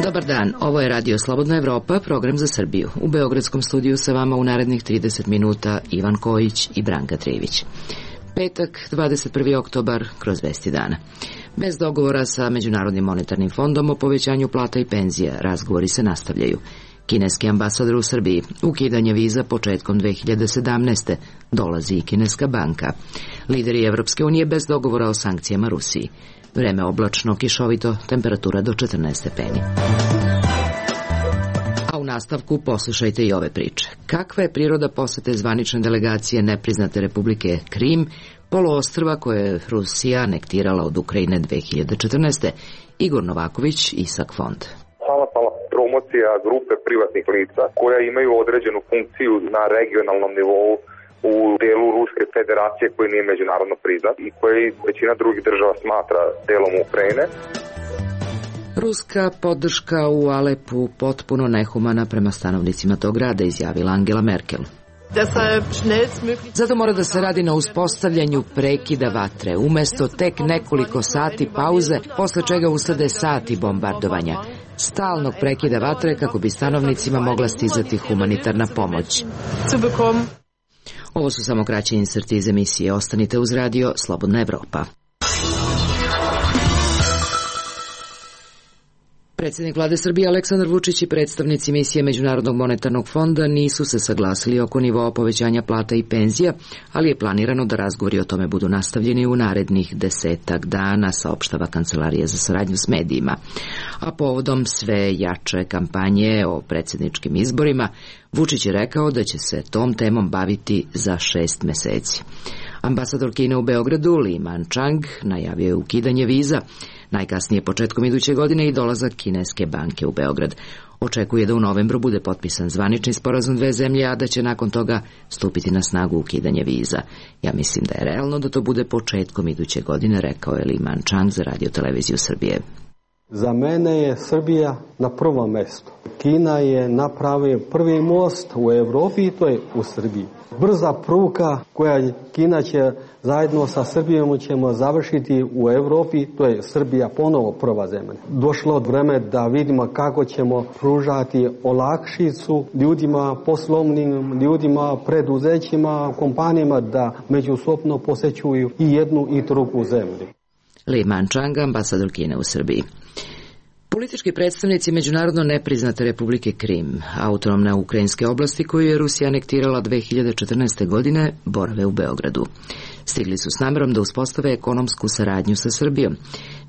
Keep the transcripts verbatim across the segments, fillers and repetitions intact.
Dobar dan, ovo je Radio Slobodna Evropa, program za Srbiju. U Beogradskom studiju sa vama u narednih trideset minuta Ivan Kojić i Branka Trivić. Petak, dvadeset prvi oktobar, kroz vesti dana. Bez dogovora sa Međunarodnim monetarnim fondom o povećanju plata i penzija, razgovori se nastavljaju. Kineski ambasador u Srbiji, ukidanje viza početkom dve hiljade sedamnaeste. Dolazi i kineska banka. Lideri Evropske unije bez dogovora o sankcijama Rusiji. Vreme oblačno, kišovito, temperatura do četrnaest stepeni. A u nastavku poslušajte i ove priče. Kakva je priroda posete zvanične delegacije nepriznate Republike Krim, poluostrva koje je Rusija anektirala od Ukrajine dve hiljade četrnaeste. Igor Novaković, Isak Fond. Samostalna promocija grupe privatnih lica koja imaju određenu funkciju na regionalnom nivou u delu Ruske federacije koji nije međunarodno priznat i koji većina drugih država smatra delom Ukrajine. Ruska podrška u Alepu potpuno nehumana prema stanovnicima tog grada, izjavila Angela Merkel. Zato mora da se radi na uspostavljanju prekida vatre, umesto tek nekoliko sati pauze, posle čega uslede sati bombardovanja. Stalnog prekida vatre kako bi stanovnicima mogla stizati humanitarna pomoć. Ovo su samo kraći inserti iz emisije. Ostanite uz radio Slobodna Evropa. Predsjednik vlade Srbije Aleksandar Vučić i predstavnici misije Međunarodnog monetarnog fonda nisu se saglasili oko nivoa povećanja plata i penzija, ali je planirano da razgovori o tome budu nastavljeni u narednih desetak dana, saopštava Kancelarija za saradnju s medijima. A povodom sve jače kampanje o predsjedničkim izborima, Vučić je rekao da će se tom temom baviti za šest meseci. Ambasador Kine u Beogradu, Li Manchang, najavio je ukidanje viza, najkasnije početkom iduće godine i dolazak kineske banke u Beograd. Očekuje da u novembru bude potpisan zvanični sporazum dve zemlje, a da će nakon toga stupiti na snagu ukidanje viza. Ja mislim da je realno da to bude početkom iduće godine, rekao je Li Manchang za Radio Televiziju Srbije. Za mene je Srbija na prvom mjestu. Kina je napravio prvi most u Evropi i to je u Srbiji. Brza pruga koja Kina će zajedno sa Srbijom ćemo završiti u Evropi, to je Srbija ponovo prva zemlja. Došlo od vreme da vidimo kako ćemo pružati olakšicu ljudima, poslovnim ljudima, preduzećima, kompanijama da međusobno posećuju i jednu i drugu zemlju. Li Manchang, ambasador Kine u Srbiji. Politički predstavnici međunarodno nepriznate Republike Krim, autonomne ukrajinske oblasti koju je Rusija anektirala dve hiljade četrnaeste. godine, borave u Beogradu. Stigli su s namerom da uspostave ekonomsku saradnju sa Srbijom.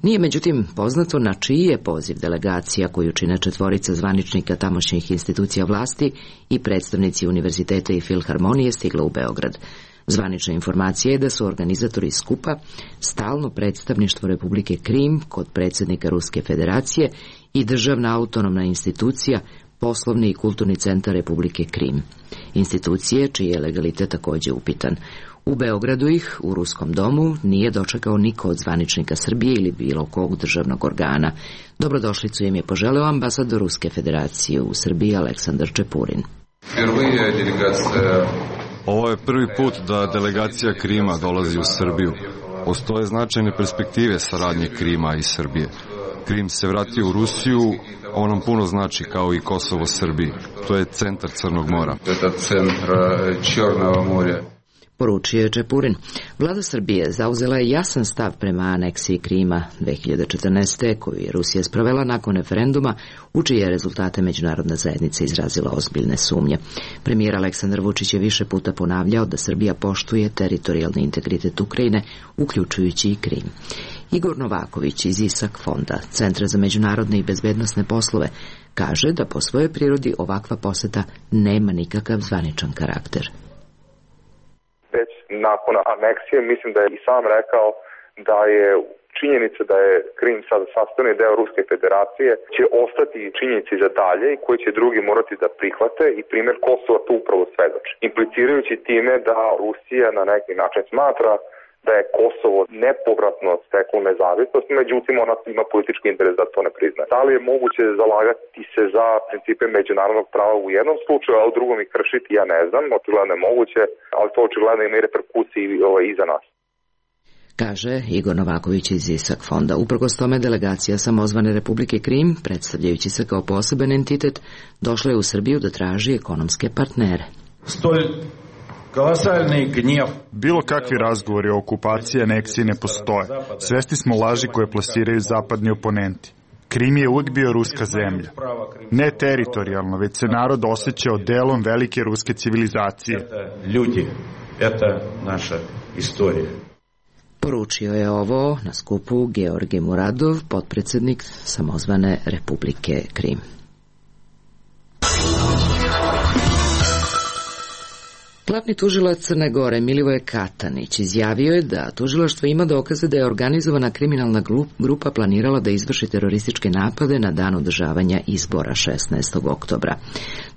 Nije međutim poznato na čiji je poziv delegacija koju čine četvorica zvaničnika tamošnjih institucija vlasti i predstavnici univerziteta i filharmonije stigla u Beograd. Zvanična informacija je da su organizatori skupa stalno predstavništvo Republike Krim kod predsjednika Ruske federacije i državna autonomna institucija Poslovni i kulturni centar Republike Krim. Institucije čiji je legalitet također upitan. U Beogradu ih, u Ruskom domu, nije dočekao niko od zvaničnika Srbije ili bilo kog državnog organa. Dobrodošlicu im je poželeo ambasador Ruske federacije u Srbiji Aleksandar Čepurin. Ovo je prvi put da delegacija Krima dolazi u Srbiju. Postoje značajne perspektive saradnje Krima i Srbije. Krim se vratio u Rusiju, on nam puno znači kao i Kosovo Srbiji. To je centar Crnog mora. Poručio je Čepurin. Vlada Srbije zauzela je jasan stav prema aneksiji Krima dve hiljade četrnaeste. koju je Rusija sprovela nakon referenduma, u čije rezultate međunarodna zajednica izrazila ozbiljne sumnje. Premijer Aleksandar Vučić je više puta ponavljao da Srbija poštuje teritorijalni integritet Ukrajine, uključujući i Krim. Igor Novaković iz Isak Fonda, Centra za međunarodne i bezbednosne poslove, kaže da po svojoj prirodi ovakva poseta nema nikakav zvaničan karakter. Nakon aneksije, mislim da je i sam rekao da je činjenica da je Krim sad sastavni deo Ruske federacije će ostati činjenici za dalje i koji će drugi morati da prihvate i primjer Kosova tu upravo svedoči. Implicirajući time da Rusija na neki način smatra da je Kosovo nepovratno steklo nezavisnost, međutim ona ima politički interes da to ne priznaje. Da li je moguće zalagati se za principe međunarodnog prava u jednom slučaju, a u drugom ih kršiti, ja ne znam, očigledno je moguće, ali to očigledno ima i reperkusiji i za nas. Kaže Igor Novaković iz ISAK fonda. Uprkos tome, delegacija samozvane Republike Krim, predstavljajući se kao poseban entitet, došla je u Srbiju da traži ekonomske partnere. Stolj kolosalni gnjev. Bilo kakvi razgovori o okupaciji i aneksiji ne postoje. Svesni smo laži koje plasiraju zapadni oponenti. Krim je uvijek bio ruska zemlja. Ne teritorijalno, već se narod osjećao delom velike ruske civilizacije. Ljudi, eta naša istorija. Poručio je ovo na skupu Georgij Muradov, potpredsjednik samozvane Republike Krim. Glavni tužilac Crne Gore Milivoje Katanić izjavio je da tužilaštvo ima dokaze da je organizovana kriminalna grupa planirala da izvrši terorističke napade na dan održavanja izbora šesnaestog oktobra.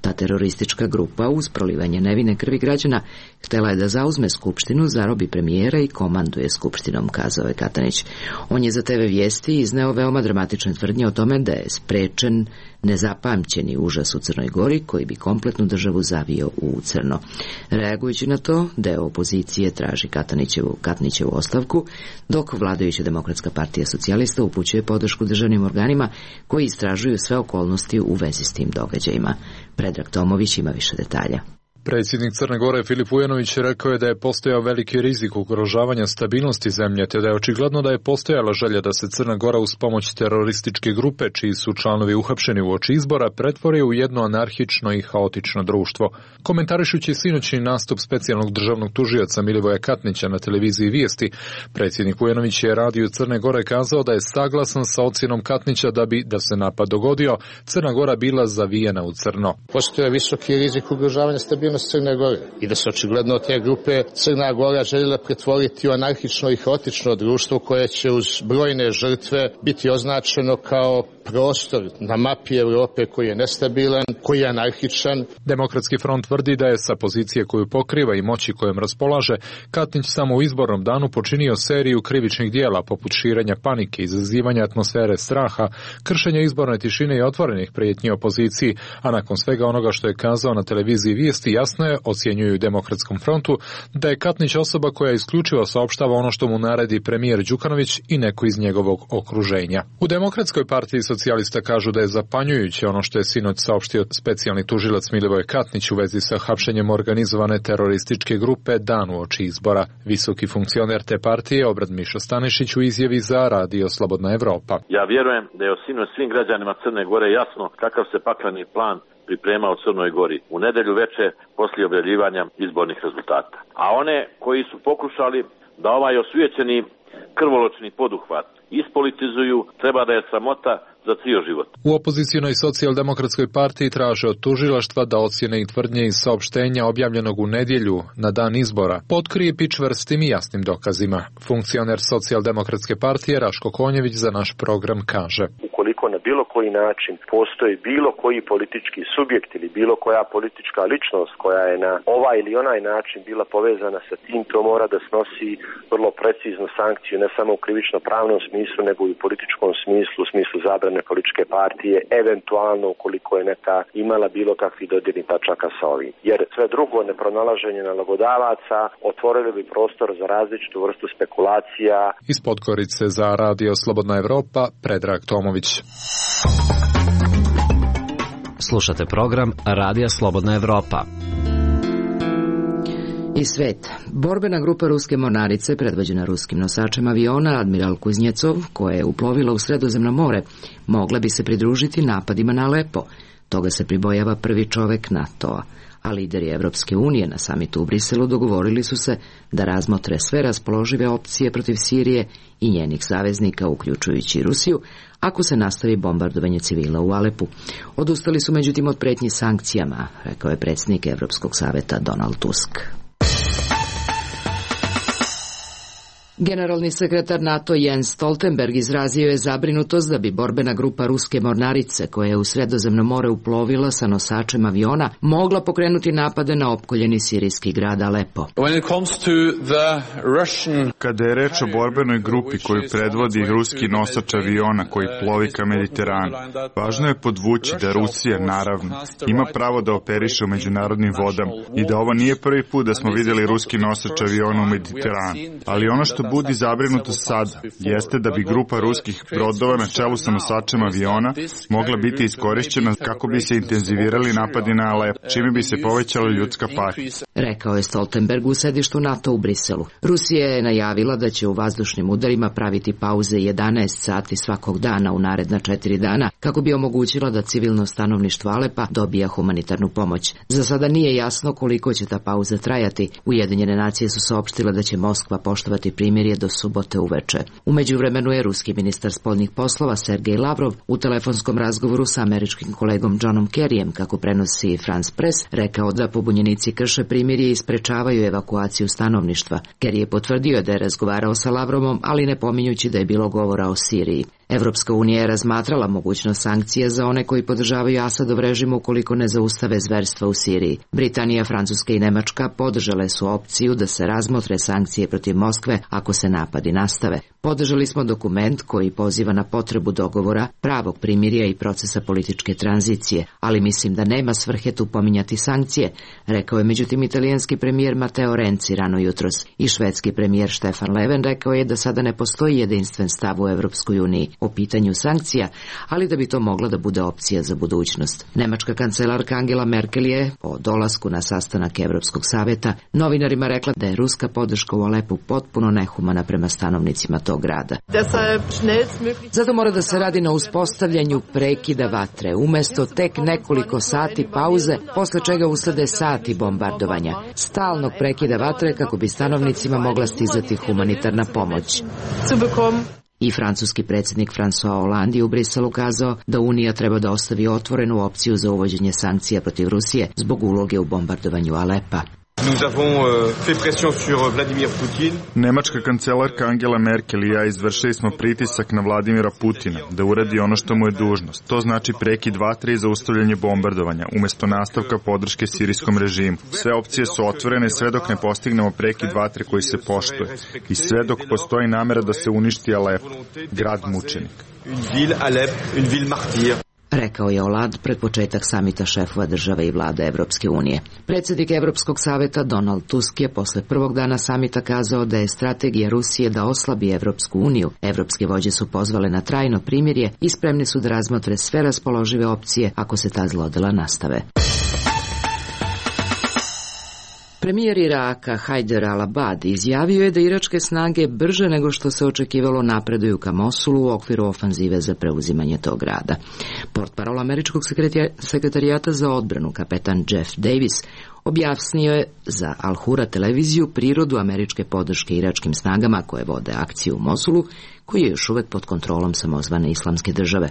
Ta teroristička grupa uz prolivanje nevine krvi građana htjela je da zauzme skupštinu, zarobi premijera i komanduje skupštinom, kazao je Katanić. On je za te ve Vijesti izneo veoma dramatične tvrdnje o tome da je sprečen nezapamćeni užas u Crnoj Gori koji bi kompletnu državu zavio u crno. Reagujući na to, deo opozicije traži Katanićevu, Katanićevu ostavku, dok vladajuća Demokratska partija socijalista upućuje podršku državnim organima koji istražuju sve okolnosti u vezi s tim događajima. Predrag Tomović ima više detalja. Predsjednik Crne Gore Filip Vujanović rekao je da je postojao veliki rizik ugrožavanja stabilnosti zemlje, te da je očigledno da je postojala želja da se Crna Gora uz pomoć terorističke grupe, čiji su članovi uhapšeni uoči izbora, pretvori u jedno anarhično i haotično društvo. Komentarišući sinoćni nastup specijalnog državnog tužioca Milivoja Katnića na televiziji Vijesti, predsjednik Vujanović je radiju Crne Gore kazao da je saglasan sa ocjenom Katnića da bi, da se napad dogodio, Crna Gora bila zavijena u crno. Postoje visoki rizik ugrožavanja stabilnosti Crne Gore i da se očigledno od te grupe Crna Gora željela pretvoriti u anarhično i haotično društvo koje će uz brojne žrtve biti označeno kao prostor na mapi Europe koji je nestabilan, koji je anarhičan. Demokratski front tvrdi da je sa pozicije koju pokriva i moći kojom raspolaže Katnić samo u izbornom danu počinio seriju krivičnih dijela poput širenja panike, izazivanja atmosfere straha, kršenja izborne tišine i otvorenih prijetnji opoziciji, a nakon svega onoga što je kazao na televiziji Vijesti jasno je, ocjenjuju Demokratskom frontu, da je Katnić osoba koja isključivo saopštava ono što mu naredi premijer Đukanović i neko iz njegovog okruženja. U Demokratskoj partiji socijalista kažu da je zapanjujuće ono što je sinoć saopštio specijalni tužilac Milivoje Katnić u vezi sa hapšenjem organizovane terorističke grupe dan uoči izbora. Visoki funkcioner te partije Obrad Mišo Stanišić u izjavi za Radio Slobodna Evropa. Ja vjerujem da je sinoć svim građanima Crne Gore jasno kakav se pakleni plan priprema u Crnoj Gori u nedelju veče poslije objavljivanja izbornih rezultata. A one koji su pokušali da ovaj osvijećeni krvoločni poduhvat ispolitizuju, treba da je sramota za cijel život. U opozicionoj socijaldemokratskoj partiji traže od tužilaštva da ocjene i tvrdnje iz saopštenja objavljenog u nedjelju na dan izbora potkrije pič vrstim i jasnim dokazima. Funkcioner socijaldemokratske partije Raško Konjević za naš program kaže: ukoliko na bilo koji način postoji bilo koji politički subjekt ili bilo koja politička ličnost koja je na ovaj ili onaj način bila povezana sa tim, to mora da snosi vrlo preciznu sankciju, ne samo u krivično-pravnom smislu, nego i u političkom smislu, u smislu zabrane političke partije, eventualno ukoliko je neka imala bilo kakvih dodirnih tačaka sa ovim. Jer sve drugo, nepronalaženje nalogodavaca, otvorili bi prostor za različitu vrstu spekulacija. Iz Podgorice za Radio Slobodna Evropa, Predrag Tomović. Slušate program Radija Slobodna Evropa. I svet. Borbena grupa ruske mornarice, predvođena ruskim nosačem aviona Admiral Kuznjecov, koja je uplovila u Sredozemno more, mogla bi se pridružiti napadima na Alepo. Toga se pribojava prvi čovek NATO-a. A lideri Evropske unije na samitu u Briselu dogovorili su se da razmotre sve raspoložive opcije protiv Sirije i njenih saveznika, uključujući Rusiju, ako se nastavi bombardovanje civila u Alepu. Odustali su međutim od pretnji sankcijama, rekao je predsjednik Evropskog saveta Donald Tusk. Generalni sekretar NATO Jens Stoltenberg izrazio je zabrinutost da bi borbena grupa ruske mornarice, koja je u Sredozemno more uplovila sa nosačem aviona, mogla pokrenuti napade na opkoljeni sirijski grad Alepo. Kada je reč o borbenoj grupi koju predvodi ruski nosač aviona koji plovi ka Mediteranu, važno je podvući da Rusija, naravno, ima pravo da operiše u međunarodnim vodama i da ovo nije prvi put da smo vidjeli ruski nosač aviona u Mediteranu. Ali ono što budi zabrinuto sada jeste da bi grupa ruskih brodova na čelu sa nosačem aviona mogla biti iskorišćena kako bi se intenzivirali napadi na Alep, čime bi se povećala ljudska patnja. Rekao je Stoltenberg u sedištu NATO u Briselu. Rusija je najavila da će u vazdušnim udarima praviti pauze jedanaest sati svakog dana u naredna četiri dana kako bi omogućila da civilno stanovništvo Alepa dobija humanitarnu pomoć. Za sada nije jasno koliko će ta pauza trajati. Ujedinjene nacije su saopštile da će Moskva poštovati primirje do subote uveče. U međuvremenu je ruski ministar spoljnih poslova Sergej Lavrov u telefonskom razgovoru sa američkim kolegom Johnom Kerryjem, kako prenosi France Press, rekao da pobunjenici krše primirje i sprečavaju evakuaciju stanovništva. Kerry je potvrdio da je razgovarao sa Lavrovom, ali ne pominjući da je bilo govora o Siriji. Evropska unija je razmatrala mogućnost sankcija za one koji podržavaju Asadov režim ukoliko ne zaustave zverstva u Siriji. Britanija, Francuska i Nemačka podržale su opciju da se razmotre sankcije protiv Moskve ako se napadi nastave. Podržali smo dokument koji poziva na potrebu dogovora, pravog primirja i procesa političke tranzicije, ali mislim da nema svrhe tu pominjati sankcije, rekao je međutim italijanski premijer Matteo Renzi rano jutros. I švedski premijer Stefan Löfven rekao je da sada ne postoji jedinstven stav u Evropskoj uniji o pitanju sankcija, ali da bi to mogla da bude opcija za budućnost. Nemačka kancelarka Angela Merkel je, po dolasku na sastanak Evropskog saveta, novinarima rekla da je ruska podrška u Alepu potpuno nehumana prema stanovnicima tog grada. Zato mora da se radi na uspostavljanju prekida vatre, umesto tek nekoliko sati pauze, posle čega uslede sati bombardovanja. Stalnog prekida vatre kako bi stanovnicima mogla stizati humanitarna pomoć. I francuski predsjednik François Hollande je u Briselu kazao da Unija treba da ostavi otvorenu opciju za uvođenje sankcija protiv Rusije zbog uloge u bombardovanju Alepa. Nemačka kancelarka Angela Merkel i ja izvršili smo pritisak na Vladimira Putina da uradi ono što mu je dužnost. To znači prekid vatre i zaustavljanje bombardovanja, umjesto nastavka podrške sirijskom režimu. Sve opcije su otvorene sve dok ne postignemo prekid vatre koji se poštuje i sve dok postoji namera da se uništi Alep, grad mučenik. Rekao je Hollande pred početak samita šefova države i vlade Evropske unije. Predsjednik Evropskog saveta Donald Tusk je posle prvog dana samita kazao da je strategija Rusije da oslabi Evropsku uniju. Evropske vođe su pozvale na trajno primirje i spremni su da razmotre sve raspoložive opcije ako se ta zlodela nastave. Premijer Iraka Hajder al-Abadi izjavio je da iračke snage brže nego što se očekivalo napreduju ka Mosulu u okviru ofanzive za preuzimanje tog grada. Portparol američkog sekretarijata za odbranu kapetan Jeff Davis objasnio je za Al Hura televiziju prirodu američke podrške iračkim snagama koje vode akciju u Mosulu, koji je još uvek pod kontrolom samozvane islamske države.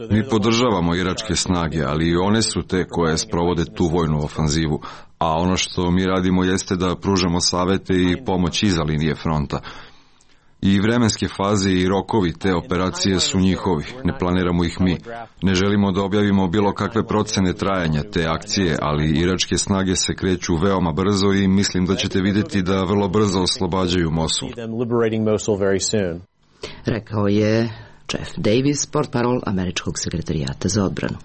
Mi podržavamo iračke snage, ali i one su te koje sprovode tu vojnu ofanzivu, a ono što mi radimo jeste da pružamo savete i pomoć iza linije fronta. I vremenske faze i rokovi te operacije su njihovi, ne planiramo ih mi. Ne želimo da objavimo bilo kakve procene trajanja te akcije, ali iračke snage se kreću veoma brzo i mislim da ćete vidjeti da vrlo brzo oslobađaju Mosul. Rekao je Jeff Davis, portparol američkog sekretarijata za odbranu.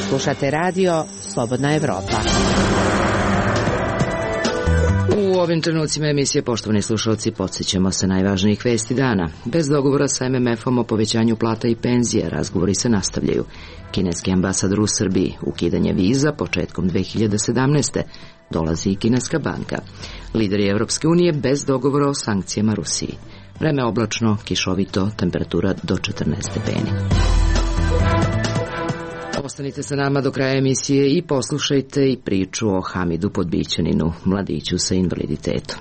Slušate radio Slobodna Evropa. U ovim trenucima emisije, poštovani slušalci, podsjećamo se najvažnijih vesti dana. Bez dogovora sa M M F-om o povećanju plata i penzije, razgovori se nastavljaju. Kineski ambasador u Srbiji, ukidanje viza početkom dve hiljade sedamnaeste. Dolazi i kineska banka. Lideri Evropske unije bez dogovora o sankcijama Rusiji. Vreme oblačno, kišovito, temperatura do četrnaest stepeni. Ostanite sa nama do kraja emisije i poslušajte i priču o Hamidu Podbićaninu, mladiću sa invaliditetom.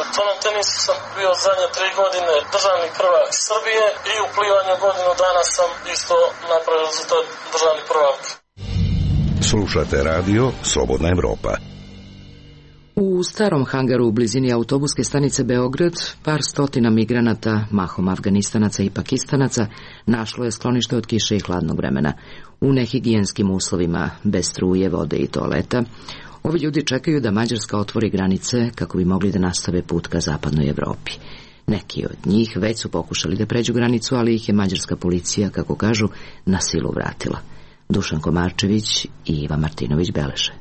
U tonom tenisu sam bio zadnje tri godine državni prvak Srbije i u plivanju godinu dana sam isto napravio rezultat državni prvak. Slušate radio Slobodna Evropa. U starom hangaru u blizini autobuske stanice Beograd par stotina migranata, mahom Afganistanaca i Pakistanaca, našlo je sklonište od kiše i hladnog vremena. U nehigijenskim uslovima, bez struje, vode i toaleta, ovi ljudi čekaju da Mađarska otvori granice kako bi mogli da nastave put ka zapadnoj Evropi. Neki od njih već su pokušali da pređu granicu, ali ih je mađarska policija, kako kažu, na silu vratila. Dušan Komarčević i Iva Martinović beleže.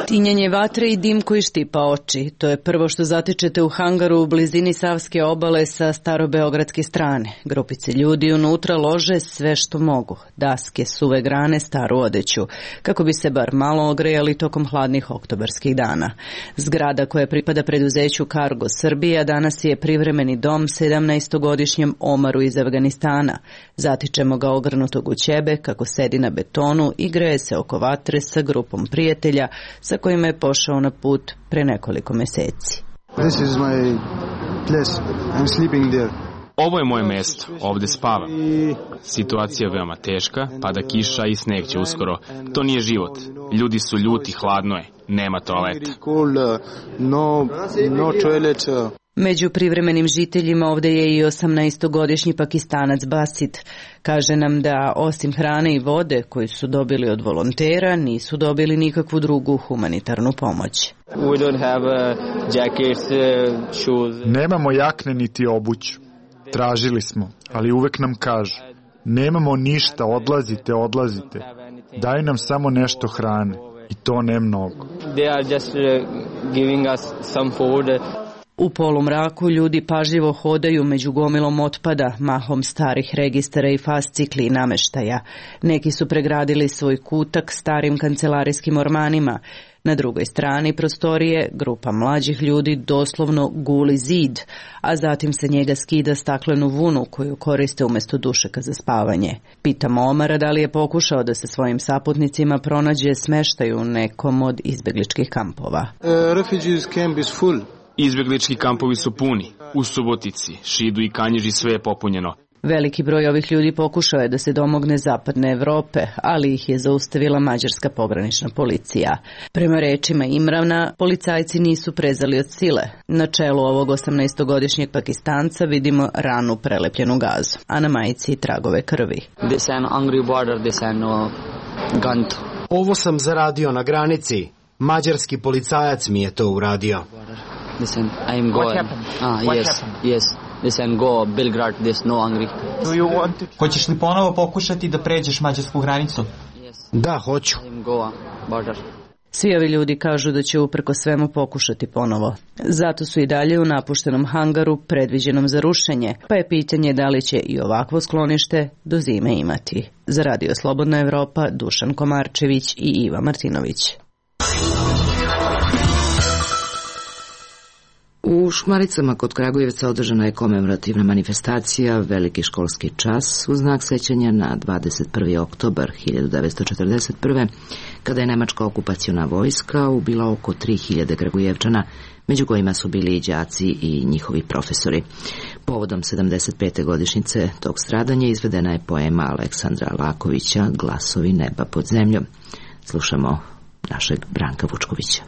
Tinjanje vatre i dim koji štipa oči. To je prvo što zatičete u hangaru u blizini Savske obale sa starobeogradske strane. Grupice ljudi unutra lože sve što mogu. Daske, suve grane, staru odeću. Kako bi se bar malo ogrejali tokom hladnih oktobarskih dana. Zgrada koja pripada preduzeću Cargo Srbija danas je privremeni dom sedamnaestogodišnjem Omaru iz Afganistana. Zatičemo ga ogrnutog u ćebe kako sedi na betonu i greje se oko vatre sa grupom prijatelja sa kojima je pošao na put pre nekoliko meseci. This is my place. I'm sleeping there. Ovo je moje mesto, ovde spavam. Situacija je veoma teška, pada kiša i sneg će uskoro. To nije život. Ljudi su ljuti, hladno je, nema toaleta. No, no toilet. Među privremenim žiteljima ovde je i osamnaestogodišnji Pakistanac Basit. Kaže nam da osim hrane i vode koju su dobili od volontera, nisu dobili nikakvu drugu humanitarnu pomoć. Nemamo jakne niti obuću. Tražili smo, ali uvek nam kažu: nemamo ništa, odlazite, odlazite. Daju nam samo nešto hrane i to ne mnogo. U polumraku ljudi pažljivo hodaju među gomilom otpada, mahom starih registara i fascikli i nameštaja. Neki su pregradili svoj kutak starim kancelarijskim ormanima. Na drugoj strani prostorije grupa mlađih ljudi doslovno guli zid, a zatim se njega skida staklenu vunu koju koriste umjesto dušeka za spavanje. Pitamo Omara da li je pokušao da se svojim saputnicima pronađe smeštaj u nekom od izbegličkih kampova. Uh, refugees camp is full. Izbeglički kampovi su puni. U Subotici, Šidu i Kanjiži sve je popunjeno. Veliki broj ovih ljudi pokušao je da se domogne zapadne Evrope, ali ih je zaustavila mađarska pogranična policija. Prema rečima Imrana, policajci nisu prezali od sile. Na čelu ovog osamnaestogodišnjeg Pakistanca vidimo ranu prelepljenu gazu, a na majici tragove krvi. Ovo sam zaradio na granici. Mađarski policajac mi je to uradio. Listen, I am going. Ah, What yes, happened? yes. Listen, go Belgrade, there's no hungry. Do you want to... Hoćeš li ponovo pokušati da pređeš mađarsku granicu? Da, hoću. I am go border. Svi ovi ljudi kažu da će uprko svemu pokušati ponovo. Zato su i dalje u napuštenom hangaru predviđenom za rušenje, pa je pitanje da li će i ovakvo sklonište do zime imati. Za Radio Slobodna Evropa, Dušan Komarčević i Iva Martinović. U Šumaricama kod Kragujevca održana je komemorativna manifestacija Veliki školski čas u znak sećanja na dvadeset prvi oktobar hiljadu devetsto četrdeset prve. kada je nemačka okupaciona vojska ubila oko tri hiljade Kragujevčana, među kojima su bili i đaci i njihovi profesori. Povodom sedamdeset pete godišnjice tog stradanja izvedena je poema Aleksandra Lakovića Glasovi neba pod zemljom. Slušamo našeg Branka Vučkovića.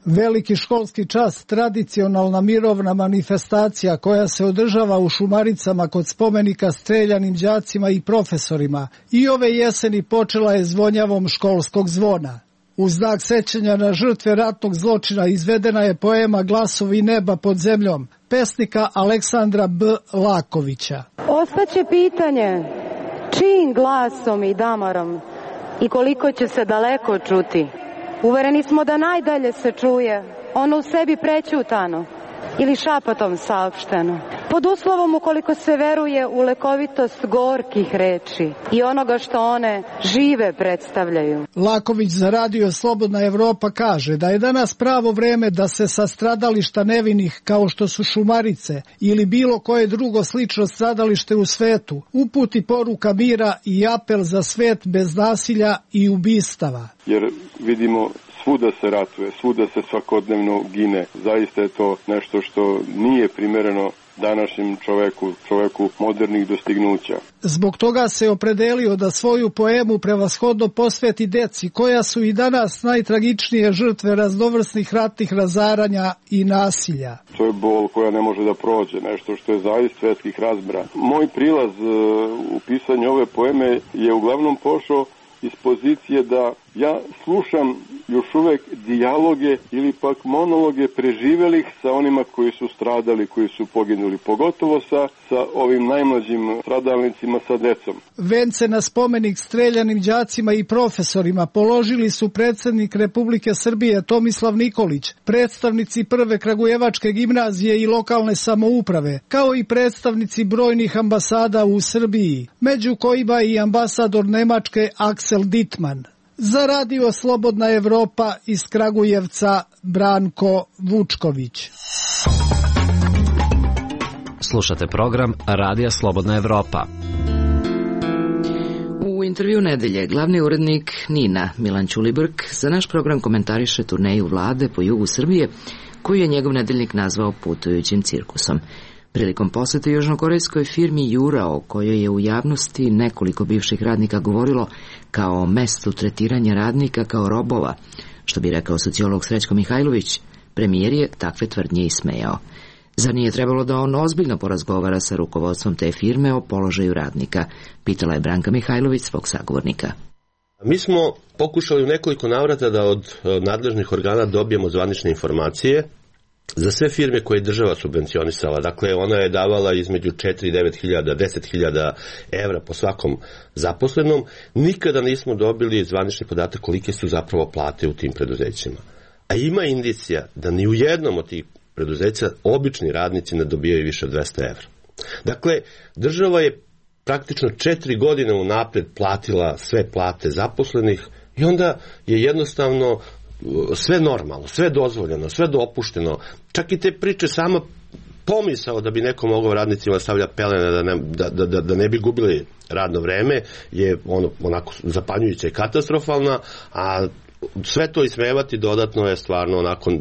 Veliki školski čas, tradicionalna mirovna manifestacija koja se održava u Šumaricama kod spomenika streljanim đacima i profesorima, i ove jeseni počela je zvonjavom školskog zvona. U znak sećanja na žrtve ratnog zločina izvedena je poema Glasovi neba pod zemljom pesnika Aleksandra B. Lakovića. Ostaće pitanje čijim glasom i damarom i koliko će se daleko čuti. Uvereni smo da najdalje se čuje ono u sebi prećutano ili šapatom saopšteno. Pod uslovom ukoliko se veruje u lekovitost gorkih reči i onoga što one žive predstavljaju. Laković za Radio Slobodna Evropa kaže da je danas pravo vreme da se sa stradališta nevinih kao što su Šumarice ili bilo koje drugo slično stradalište u svetu uputi poruka mira i apel za svet bez nasilja i ubistava. Jer vidimo svuda se ratuje, svuda se svakodnevno gine. Zaista je to nešto što nije primereno današnjem čoveku, čoveku modernih dostignuća. Zbog toga se opredelio da svoju poemu prevashodno posveti deci, koja su i danas najtragičnije žrtve raznovrsnih ratnih razaranja i nasilja. To je bol koja ne može da prođe, nešto što je zaista svetskih razmera. Moj prilaz u pisanju ove poeme je uglavnom pošao iz pozicije da ja slušam još uvek dijaloge ili pak monologe preživelih sa onima koji su stradali, koji su poginuli, pogotovo sa, sa ovim najmlađim stradalnicima, sa decom. Vence na spomenik streljanim đacima i profesorima položili su predsjednik Republike Srbije Tomislav Nikolić, predstavnici Prve Kragujevačke gimnazije i lokalne samouprave, kao i predstavnici brojnih ambasada u Srbiji, među kojima i ambasador Nemačke Axel Dittmann. Za radio Slobodna Evropa iz Kragujevca Branko Vučković. Slušate program Radija Slobodna Evropa. U intervju nedelje glavni urednik NIN-a Milan Ćulibrk za naš program komentariše turneju vlade po jugu Srbije, koju je njegov nedeljnik nazvao putujućim cirkusom. Prilikom posete južnokorejskoj firmi Jura, o kojoj je u javnosti nekoliko bivših radnika govorilo kao mestu tretiranja radnika kao robova, što bi rekao sociolog Srećko Mihajlović, premijer je takve tvrdnje ismejao. Zar nije trebalo da on ozbiljno porazgovara sa rukovodstvom te firme o položaju radnika, pitala je Branka Mihajlović svog sagovornika. Mi smo pokušali u nekoliko navrata da od nadležnih organa dobijemo zvanične informacije za sve firme koje je država subvencionisala. Dakle, ona je davala između četiri i devet hiljada, deset hiljada evra po svakom zaposlenom. Nikada nismo dobili zvanični podatak kolike su zapravo plate u tim preduzećima. A ima indicija da ni u jednom od tih preduzeća obični radnici ne dobijaju više od dvesta evra. Dakle, država je praktično četiri godine unapred platila sve plate zaposlenih i onda je jednostavno sve normalno, sve dozvoljeno, sve dopušteno. Čak i te priče sama pomisao da bi neko mogao radnicima stavlja pelene da ne, da, da, da ne bi gubili radno vreme je ono, onako zapanjujuća i katastrofalna, a sve to ismevati dodatno je stvarno onako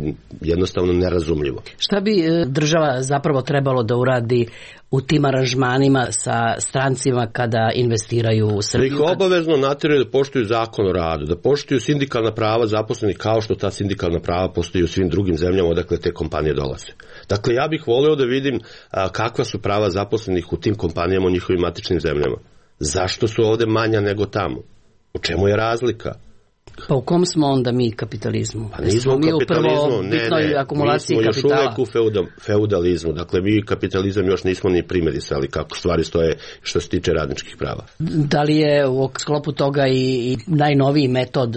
jednostavno nerazumljivo. Šta bi država zapravo trebalo da uradi u tim aranžmanima sa strancima kada investiraju u Srbiju? Da ih obavezno natjeraju da poštuju zakon o radu, da poštuju sindikalna prava zaposlenih kao što ta sindikalna prava postoji u svim drugim zemljama odakle te kompanije dolaze. Dakle, ja bih voleo da vidim a, kakva su prava zaposlenih u tim kompanijama u njihovim matičnim zemljama. Zašto su ovde manja nego tamo? U čemu je razlika? Pa u kom smo onda mi kapitalizmu? Pa nismo u kapitalizmu, ne, ne, mi smo još uvek u feudalizmu, dakle mi kapitalizam još nismo ni primerisali kako stvari stoje što se tiče radničkih prava. Da li je u sklopu toga i najnoviji metod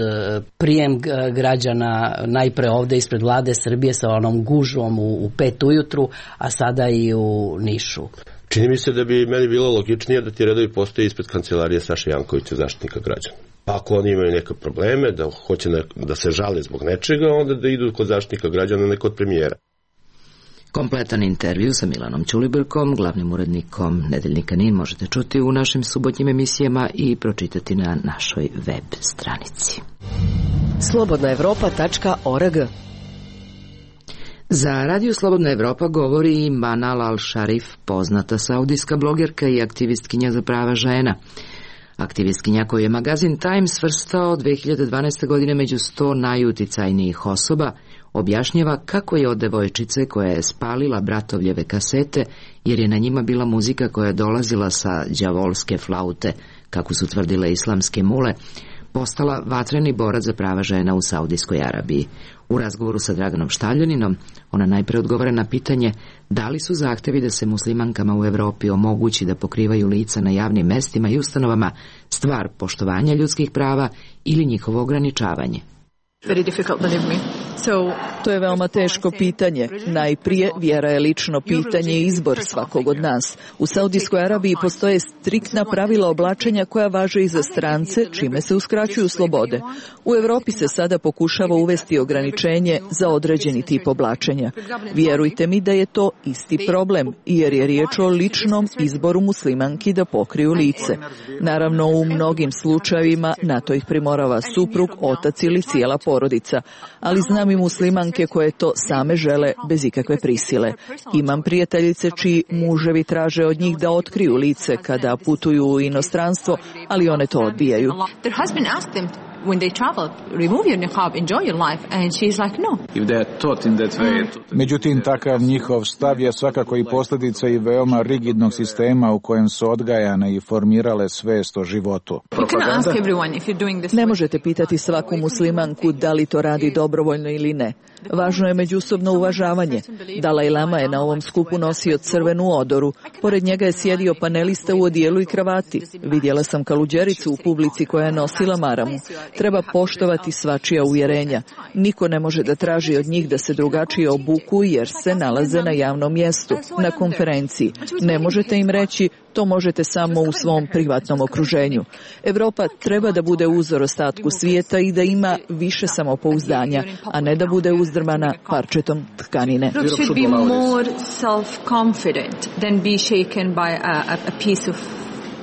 prijem građana najpre ovde ispred vlade Srbije sa onom gužvom u pet ujutru, a sada i u Nišu? Čini mi se da bi meni bilo logičnije da ti redovi postoje ispred kancelarije Saše Jankovića, Zaštitnika građana. Pa ako oni imaju neke probleme, da hoće ne, da se žale zbog nečega, onda da idu kod Zaštitnika građana, ne kod premijera. Kompletan intervju sa Milanom Ćulibrkom, glavnim urednikom nedeljnika NIN, možete čuti u našim subotnjim emisijama i pročitati na našoj web stranici. slobodna evropa tačka org. Za Radio Slobodna Evropa govori i Manal al-Sharif, poznata saudijska blogerka i aktivistkinja za prava žena. Aktivistkinja koju je magazin Time svrstao dve hiljade dvanaeste. godine među sto najuticajnijih osoba, objašnjava kako je od devojčice koja je spalila bratovljeve kasete, jer je na njima bila muzika koja je dolazila sa đavolske flaute, kako su tvrdile islamske mule, postala vatreni borac za prava žena u Saudijskoj Arabiji. U razgovoru sa Draganom Štavljaninom, ona najpre odgovara na pitanje da li su zahtevi da se muslimankama u Evropi omogući da pokrivaju lica na javnim mestima i ustanovama stvar poštovanja ljudskih prava ili njihovo ograničavanje. To je veoma teško pitanje. Najprije, vjera je lično pitanje i izbor svakog od nas. U Saudijskoj Arabiji postoje striktna pravila oblačenja koja važe i za strance, čime se uskraćuju slobode. U Evropi se sada pokušava uvesti ograničenje za određeni tip oblačenja. Vjerujte mi da je to isti problem, jer je riječ o ličnom izboru muslimanki da pokriju lice. Naravno, u mnogim slučajevima na to ih primorava suprug, otac ili cijela porodica. porodica, ali znam i muslimanke koje to same žele bez ikakve prisile. Imam prijateljice čiji muževi traže od njih da otkriju lice kada putuju u inostranstvo, ali one to odbijaju. When they travel, remove your niqab, enjoy your life, and she's like, no. If they are taught in that way. Međutim, takav njihov stav je svakako i posljedica i veoma rigidnog sistema u kojem su odgajane i formirale svest o životu. Ne možete pitati svaku muslimanku da li to radi dobrovoljno ili ne. Važno je međusobno uvažavanje. Dalaj Lama je na ovom skupu nosio crvenu odoru. Pored njega je sjedio panelista u odijelu i kravati. Vidjela sam kaluđericu u publici koja je nosila maramu. Treba poštovati svačija uvjerenja. Niko ne može da traži od njih da se drugačije obuku jer se nalaze na javnom mjestu, na konferenciji. Ne možete im reći to možete samo u svom privatnom okruženju. Evropa treba da bude uzor ostatku svijeta i da ima više samopouzdanja, a ne da bude uzdrmana parčetom tkanine. Should be more self-confident than be shaken by a, a piece of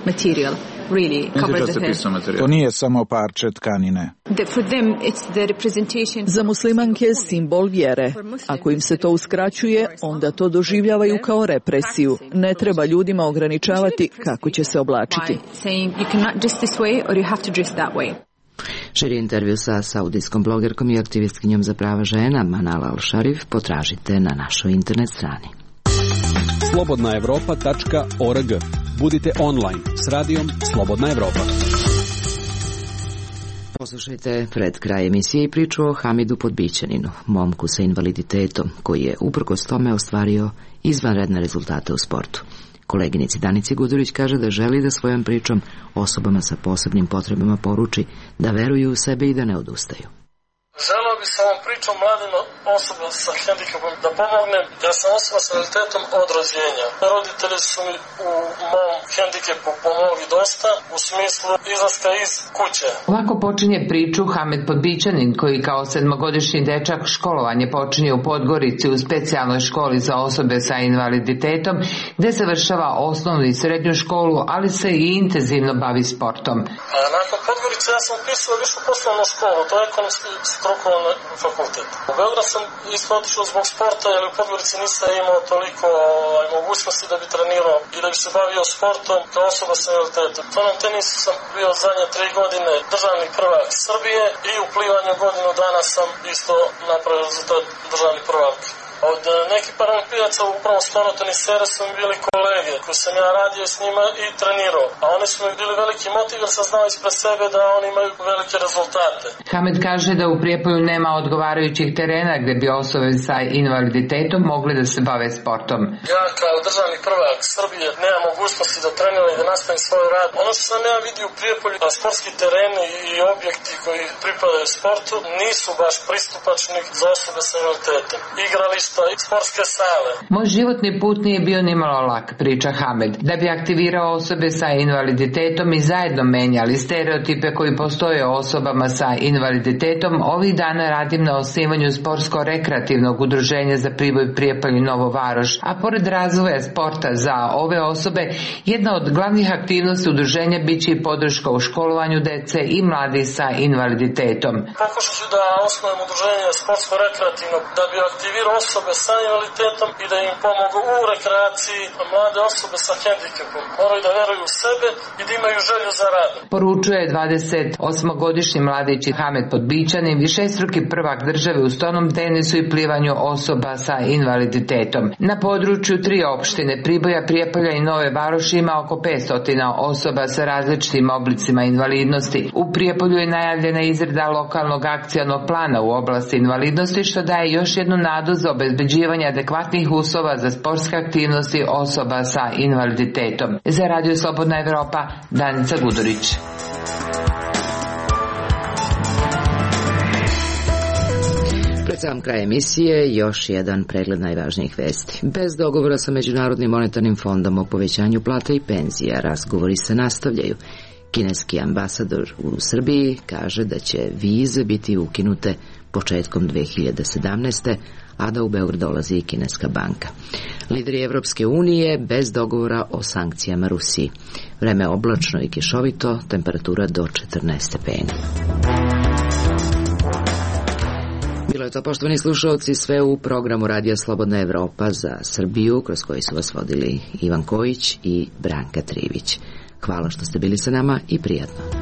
material. Really cover the head. To nije samo parče tkanine. For them it's the representation. Za muslimanke je simbol vjere. Ako im se to uskraćuje, onda to doživljavaju kao represiju. Ne treba ljudima ograničavati kako će se oblačiti. Saying you cannot dress this way or you have to dress that way. Širi intervju sa saudijskom blogerkom i aktivistkinjom za prava žena Manal Al-Sharif potražite na našoj internet strani. slobodna evropa tačka org. Budite online s radijom Slobodna Evropa. Poslušajte pred kraj emisije i priču o Hamidu Podbićaninu, momku sa invaliditetom, koji je uprkos tome ostvario izvanredne rezultate u sportu. Koleginici Danici Gudurić kaže da želi da svojom pričom osobama sa posebnim potrebama poruči da veruju u sebe i da ne odustaju. Želeo bi sa ovom pričom mladim osoba sa hendikepom da pomognem. Ja sam osoba sa invaliditetom od rođenja. Roditelji su mi u mom hendikepu pomogli dosta u smislu izlaska iz kuće. Ovako počinje priču Hamed Podbićanin, koji kao sedmogodišnji dečak školovanje počinje u Podgorici u specijalnoj školi za osobe sa invaliditetom, gde završava osnovnu i srednju školu, ali se i intenzivno bavi sportom. A nakon Podgorice ja sam upisao višu poslovnu školu, to je ekonomski strukovni fakultet. U Beograd sam isto otišao zbog sporta, jer u Podgorici nisam imao toliko ovaj, mogućnosti da bi trenirao i da bi se bavio sportom kao osoba sa invaliditetom. To na tenisu sam bio zadnje tri godine državni prvak Srbije i u plivanju godinu dana sam isto napravio rezultat državni prvak. Od nekih paralimpijaca upravo skorotenisere su mi bili kolege koji sam ja radio s njima i trenirao, a oni su mi bili veliki motiv jer sam znao ispred sebe da oni imaju velike rezultate. Hamed kaže da u Prijepolju nema odgovarajućih terena gde bi osobe sa invaliditetom mogli da se bave sportom. Ja kao državni prvak Srbije nemam mogućnosti da treniram i da nastavim svoj rad. Ono što sam ja vidio u Prijepolju, da sportski tereni i objekti koji pripadaju sportu nisu baš pristupačni za osobe sa invaliditetom. Igrališta i sportske sale. Moj životni put nije bio nimalo lak, priča Hamed. Da bi aktivirao osobe sa invaliditetom i zajedno menjali stereotipe koji postoje o osobama sa invaliditetom, ovih dana radim na osnivanju sportsko-rekreativnog udruženja za Priboj, Prijepolje i Novu Varoš, a pored razvoja sporta za ove osobe, jedna od glavnih aktivnosti udruženja biće i podrška u školovanju dece i mladih sa invaliditetom. Pokušat ću da osnovim udruženje sportsko-rekreativno da bi aktivirao osobe sa invaliditetom i da im pomogu u rekreaciji mlade osobe sa hendikepom. Moraju da veruju u sebe i da imaju želju za rad. Poručuje dvadesetosmogodišnji mladić Hamed Podbićanin, višestruki prvak države u stonom tenisu i plivanju osoba sa invaliditetom. Na području tri opštine Priboja, Prijepolja i Nove Varoši ima oko petsto osoba sa različitim oblicima invalidnosti. U Prijepolju je najavljena izrada lokalnog akcionog plana u oblasti invalidnosti, što daje još jednu nadu za obezbeđivanje adekvatnih uslova za sportske aktivnosti osoba sa invaliditetom. Za Radio Slobodna Evropa, Danica Gudurić. Pred sam kraj emisije još jedan pregled najvažnijih vesti. Bez dogovora sa Međunarodnim monetarnim fondom o povećanju plata i penzija, razgovori se nastavljaju. Kineski ambasador u Srbiji kaže da će vize biti ukinute početkom dve hiljade sedamnaeste. a da u Beograd dolazi i kineska banka. Lideri Evropske unije bez dogovora o sankcijama Rusiji. Vreme oblačno i kišovito, temperatura do četrnaest stepeni. Bilo je to, poštovani slušalci, sve u programu Radija Slobodna Evropa za Srbiju, kroz koji su vas vodili Ivan Kojić i Branka Trivić. Hvala što ste bili sa nama i prijatno.